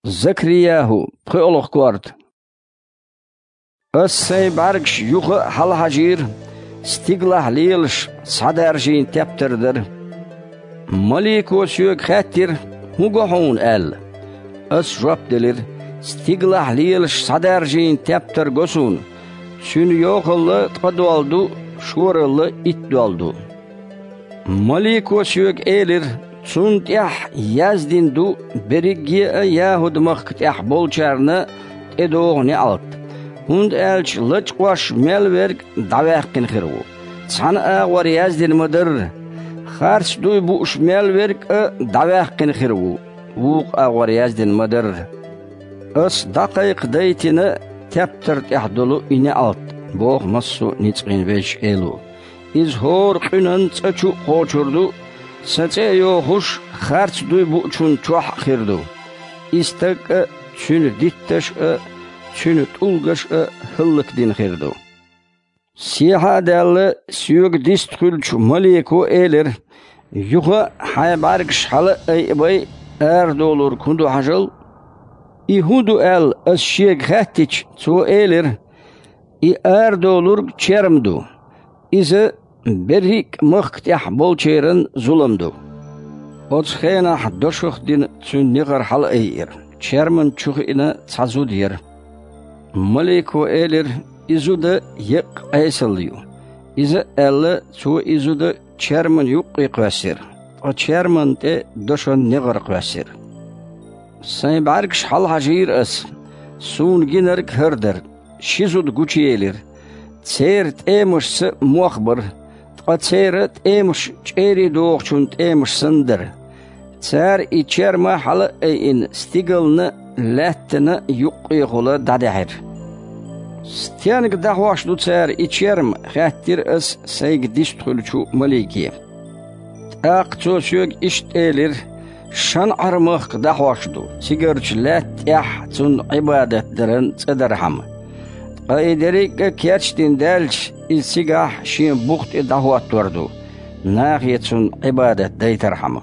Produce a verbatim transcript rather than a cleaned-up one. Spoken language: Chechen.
Закрияху, пхоьалгӀа корта. Ас сайн бӀаьргаш юха а хьалахьажийра, стигалахь лелаш схьадаржийна тептар дара. Малико соьга хаьттира: «ХӀун го хьуна?» — аьлла. Ас жоп делира: «Стигалахь лелаш схьадаржийна тептар го суна. Цуьнан йохалла ткъа дола ду, шоралла итт дола ду». Малико соьга элира: «Цунна тӀехь яздина ду берриге а ЯхӀуд-махка тӀехь болчарна тӀедогӀу неӀалт, хӀунда аьлча лачкъош мел верг дӀаваьккхина хир ву. Цхьана агӀор яздина ма-дарра: „Харц дуй бууш мел верг а дӀаваьккхина хир ву“, вукху агӀор яздина ма-дарра. Ас дӀакхайкхадайтина тептар тӀехь долу и неӀалт», — боху массо а ницкъийн Везачу Эло. «Иза хӀора къуьнан цӀа чу а кхочур ду, сан цӀе а йохуш, харц дуй буучунна чохь а хир ду. И стаг а, цуьнан дитташ а, цуьнан тӀулгаш а хӀаллакдина хир ду». Сехьа а даьлла, соьга дистхуьлучу малико элира: «Юха а хьайн бӀаьргаш хьала а айабай, арадолург хӀун ду хьажал». «И хӀун ду?» — аьлла, ас шега хаьттича, цо элира: «И арадолург черма ду. Иза берриг а махка тӀехь болчеран зулам ду». Оцу хенахь дошах а дина, цуьнан негӀар хьала а айира. Черман чу хиъна цхьа зуда яра. Малико элира: «И зуда еккъа Ӏесалла ю». Иза а аьлла, цо и зуда черман юккъе кхоьссира, ткъа черман тӀе дошан негӀар кхоьссира. Сайн бӀаьргаш хьалахьажийра ас. Суна гинарг хӀара дара. Ши зуда гучуелира. Церан тӀемашца мох бара, ткъа церан тӀемаш чӀерий дохучун тӀемаш санна дара. Цара и черма хьала а айина, стигална а, лаьттана а юккъехула дӀадаьхьира. «Стенга дӀахьош ду цара и черма?» — хаьттира ас сайга дистхуьлучу малике. ТӀаккха цо соьга иштта элира: «ШанӀар-махка дӀахьош ду, цигарчу лаьтта тӀехь цунна Ӏибадат даран цӀа дархьама. Ткъа и дерриг а кечдина даьлча, иза цигахь шен бух тӀе дӀахӀоттор ду, нахе цунна Ӏибадат дайтархьама».